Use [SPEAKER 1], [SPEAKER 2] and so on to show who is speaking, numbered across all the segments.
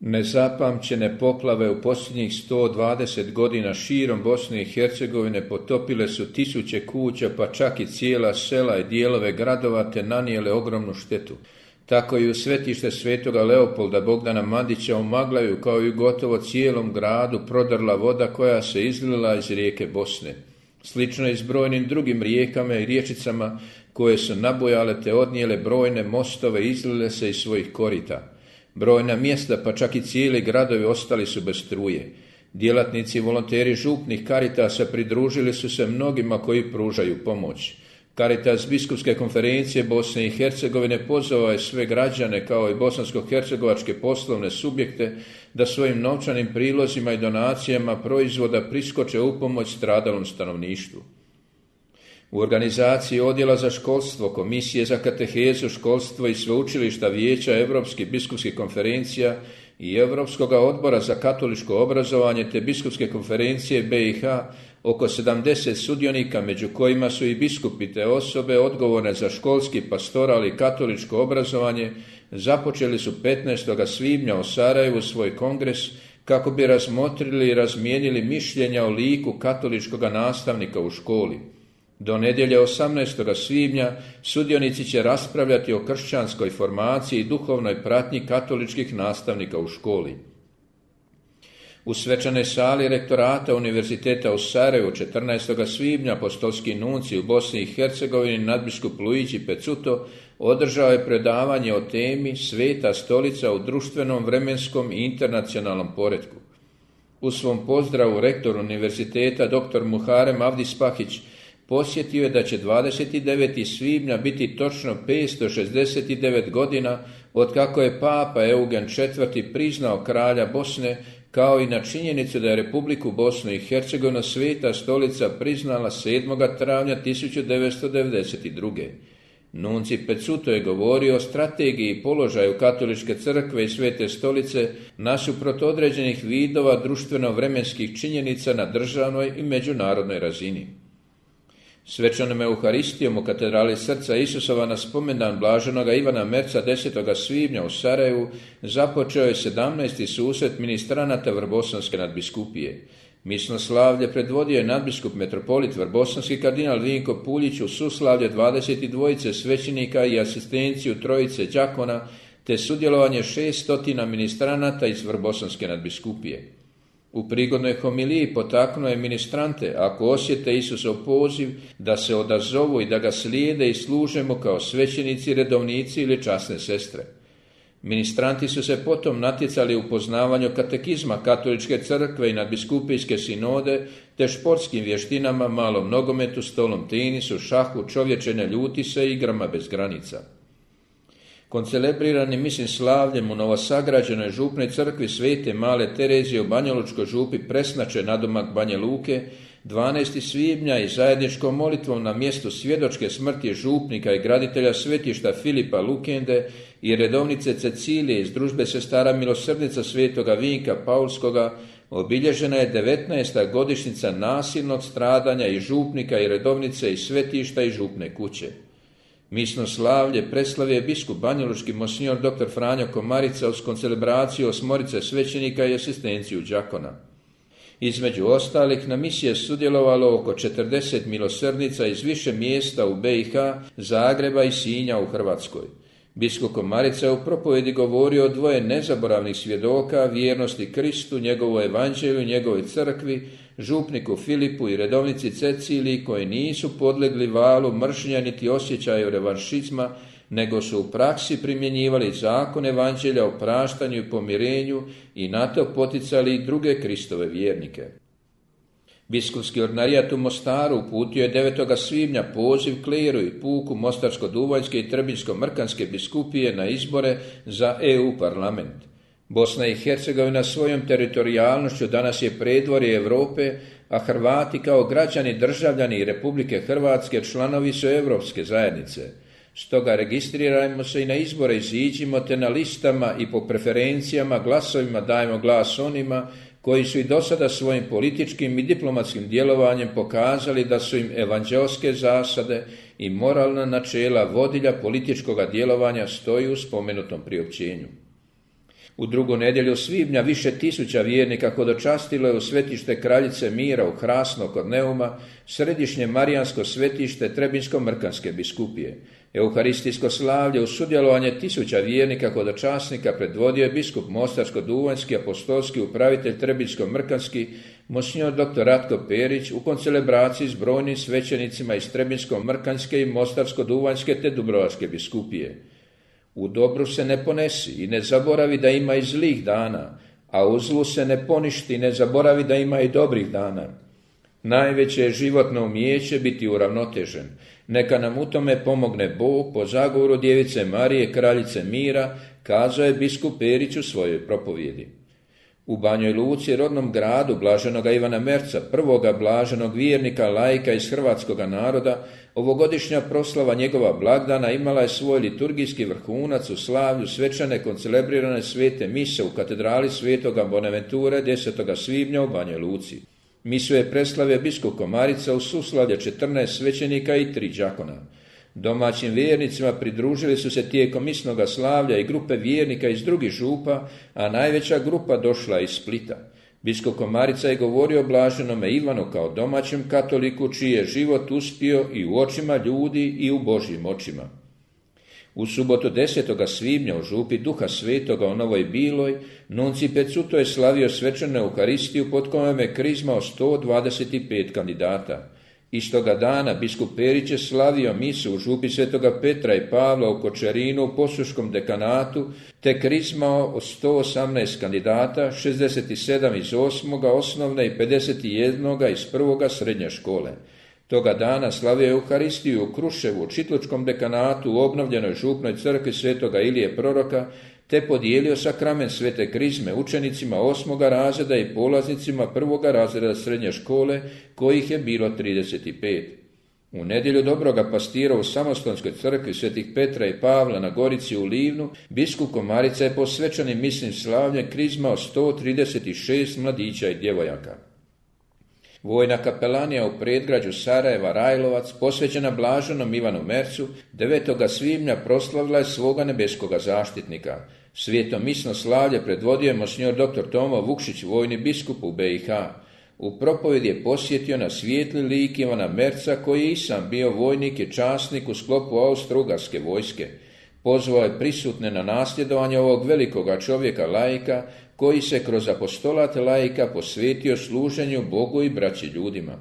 [SPEAKER 1] Nezapamćene poplave u posljednjih 120 godina širom Bosne i Hercegovine potopile su tisuće kuća, pa čak i cijela sela i dijelove gradova, te nanijele ogromnu štetu. Tako i u svetište svetoga Leopolda Bogdana Mandića u Maglaju, kao i gotovo cijelom gradu, prodrla voda koja se izlila iz rijeke Bosne. Slično i s brojnim drugim rijekama i riječicama koje su nabujale te odnijele brojne mostove, izlile se iz svojih korita. Brojna mjesta, pa čak i cijeli gradovi, ostali su bez struje. Djelatnici i volonteri župnih Karitasa pridružili su se mnogima koji pružaju pomoć. Karitas Biskupske konferencije Bosne i Hercegovine pozvao je sve građane, kao i bosansko-hercegovačke poslovne subjekte, da svojim novčanim prilozima i donacijama proizvoda priskoče u pomoć stradalom stanovništvu. U organizaciji Odjela za školstvo, Komisije za katehezu, školstvo i sveučilišta Vijeća Europskih biskupskih konferencija i Europskog odbora za katoličko obrazovanje te biskupske konferencije BiH, oko 70 sudionika, među kojima su i biskupi te osobe odgovorne za školski, pastoral i katoličko obrazovanje, započeli su 15. svibnja u Sarajevu svoj kongres kako bi razmotrili i razmijenili mišljenja o liku katoličkog nastavnika u školi. Do nedjelje 18. svibnja sudionici će raspravljati o kršćanskoj formaciji i duhovnoj pratnji katoličkih nastavnika u školi. U svečanoj sali rektorata Univerziteta u Sarajevu 14. svibnja apostolski nuncij u Bosni i Hercegovini nadbiskup Luigi Pezzuto održao je predavanje o temi Sveta stolica u društvenom, vremenskom i internacionalnom poretku. U svom pozdravu rektor univerziteta dr. Muharem Avdispahić posjetio je da će 29. svibnja biti točno 569 godina od kako je Papa Eugen IV. Priznao kralja Bosne, kao i na činjenicu da je Republiku Bosnu i Hercegovinu Sveta stolica priznala 7. travnja 1992. Nuncij Pezzuto je govorio o strategiji i položaju katoličke crkve i Svete stolice nasuprot određenih vidova društveno-vremenskih činjenica na državnoj i međunarodnoj razini. Svečanom Euharistijom u katedrali Srca Isusova na spomendan blaženoga Ivana Merca 10. svibnja u Sarajevu započeo je 17. susret ministranata Vrbosanske nadbiskupije. Misnoslavlje predvodio je nadbiskup metropolit Vrbosanski kardinal Vinko Puljić u suslavlje 22 svećenika i asistenciju trojice đakona, te sudjelovanje 600 ministranata iz Vrbosanske nadbiskupije. U prigodnoj homiliji potaknuo je ministrante, ako osjete Isusov poziv, da se odazovu i da ga slijede i služe mu kao svećenici, redovnici ili časne sestre. Ministranti su se potom natjecali u poznavanju katekizma katoličke crkve i nadbiskupijske sinode, te športskim vještinama, malom nogometu, stolnom tenisu, šahu, čovječe ne ljuti se i igrama bez granica. Koncelebrirani mislim slavljem u novosagrađenoj župnoj crkvi Svete Male Terezije u Banjalučkoj župi Presnače nadomak Banja Luke 12. svibnja i zajedničkom molitvom na mjestu svjedočke smrti župnika i graditelja svetišta Filipa Lukende i redovnice Cecilije iz družbe sestara milosrdnica Svetoga Vinka Paulskoga obilježena je 19. godišnjica nasilnog stradanja i župnika i redovnice iz svetišta i župne kuće. Misno slavlje preslavio je biskup banjalučki monsignor dr. Franjo Komarica uz koncelebraciju 8 svećenika i asistenciju đakona. Između ostalih na misiji je sudjelovalo oko 40 milosrdnica iz više mjesta u BiH, Zagreba i Sinja u Hrvatskoj. Biskup Komarica je u propovjedi govorio o 2 nezaboravnih svjedoka, vjernosti Kristu, njegovoj evanđelju i njegovoj crkvi, župniku Filipu i redovnici Ceciliji, koji nisu podlegli valu mržnja niti osjećaju revanšizma, nego su u praksi primjenjivali zakon evanđelja o praštanju i pomirenju i na to poticali i druge Kristove vjernike. Biskupski ordinarijat u Mostaru uputio je 9. svibnja poziv kleru i puku Mostarsko-Duvanjske i Trebinjsko-Mrkanske biskupije na izbore za EU parlament. Bosna i Hercegovina svojom teritorijalnošću danas je predvorje Europe, a Hrvati kao građani, državljani Republike Hrvatske članovi su Europske zajednice. Stoga registrirajmo se i na izbore iziđimo, te na listama i po preferencijama glasovima dajmo glas onima koji su i do sada svojim političkim i diplomatskim djelovanjem pokazali da su im evanđelske zasade i moralna načela vodilja političkog djelovanja stoji u spomenutom priopćenju. U drugu nedjelju svibnja više tisuća vjernika hodočastilo je u svetište Kraljice mira u Hrasno kod Neuma, središnje marijansko svetište Trebinsko-Mrkanske biskupije. Euharistijsko slavlje uz sudjelovanje tisuća vjernika hodočasnika predvodio je biskup Mostarsko-duvanjski apostolski upravitelj Trebinsko-Mrkanski monsignor dr. Ratko Perić u koncelebraciji s brojnim svećenicima iz Trebinsko-Mrkanske i Mostarsko-duvanjske te Dubrovačke biskupije. U dobru se ne ponesi i ne zaboravi da ima i zlih dana, a u zlu se ne poništi i ne zaboravi da ima i dobrih dana. Najveće je životno umijeće biti uravnotežen. Neka nam u tome pomogne Bog po zagovoru Djevice Marije, Kraljice mira, kazao je biskup Perić u svojoj propovjedi. U Banjoj Luci, rodnom gradu blaženoga Ivana Merca, prvoga blaženog vjernika laika iz hrvatskoga naroda, ovogodišnja proslava njegova blagdana imala je svoj liturgijski vrhunac u slavlju svečane koncelebrirane svete mise u katedrali svetoga Bonaventure 10. svibnja u Banjoj Luci. Misu je preslavio biskup Komarica u suslavlje 14 svećenika i 3 đakona. Domaćim vjernicima pridružili su se tijekom misnoga slavlja i grupe vjernika iz drugih župa, a najveća grupa došla iz Splita. Biskup Komarica je govorio o blaženome Ivanu kao domaćem katoliku čiji je život uspio i u očima ljudi i u Božjim očima. U subotu 10. svibnja u župi Duha Svetoga u Novoj Biloj nunci Pecuto je slavio svečanu Euharistiju pod kojom je krizmao 125 kandidata. Istoga dana biskup Perić je slavio misu u župi Svetoga Petra i Pavla u Kočerinu u Posuškom dekanatu te krizmao od 118 kandidata, 67 iz 8. osnovne i 51 iz 1. srednje škole. Toga dana slavio je Euharistiju u Kruševu u Čitlučkom dekanatu u obnovljenoj župnoj crkvi Svetoga Ilije Proroka te podijelio sakrament svete krizme učenicima 8. razreda i polaznicima 1. razreda srednje škole, kojih je bilo 35. U nedjelju Dobroga Pastira u Samostonskoj crkvi Svetih Petra i Pavla na Gorici u Livnu, biskup Komarica je po svečanim misnim slavljem krizmao 136 mladića i djevojaka. Vojna kapelanija u predgrađu Sarajeva Rajlovac, posvećena blaženom Ivanu Mercu, 9. svibnja proslavila je svoga nebeskoga zaštitnika. Svijeto misno slavlje predvodio je monsignor dr. Tomo Vukšić, vojni biskup u BiH. U propovjedi je posjetio na svijetli lik Ivana Merca, koji je i sam bio vojnik i časnik u sklopu Austro-Ugarske vojske. Pozvao je prisutne na nasljedovanje ovog velikoga čovjeka laika, koji se kroz apostolat laika posvetio služenju Bogu i braći ljudima.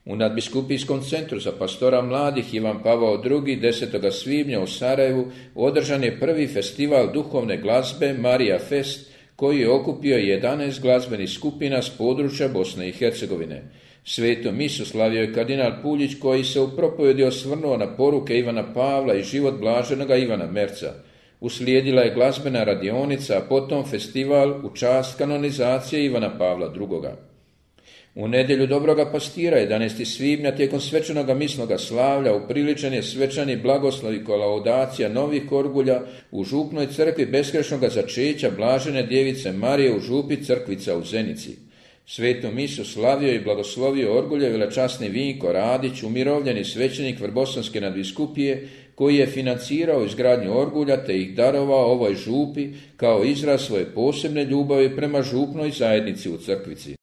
[SPEAKER 1] U nadbiskupijskom centru za pastora mladih Ivan Pavao II. 10. svibnja u Sarajevu održan je prvi festival duhovne glazbe Marija Fest, koji je okupio 11 glazbenih skupina s područja Bosne i Hercegovine. Svetu misu slavio je kardinal Puljić, koji se u propovjedi osvrnuo na poruke Ivana Pavla i život blaženoga Ivana Merca. Uslijedila je glazbena radionica, a potom festival u čast kanonizacije Ivana Pavla II. U nedjelju Dobroga Pastira, 11. svibnja, tijekom svečanoga misnoga slavlja, upriličen je svečani blagoslov i kolaudacija novih orgulja u župnoj crkvi beskrešnoga začeća blažene Djevice Marije u župi Crkvica u Zenici. Svetu misu slavio i blagoslovio orgulje velečasni Vinko Radić, umirovljeni svećenik Vrbosanske nadbiskupije, koji je financirao izgradnju orgulja te ih darovao ovoj župi kao izraz svoje posebne ljubavi prema župnoj zajednici u Crkvici.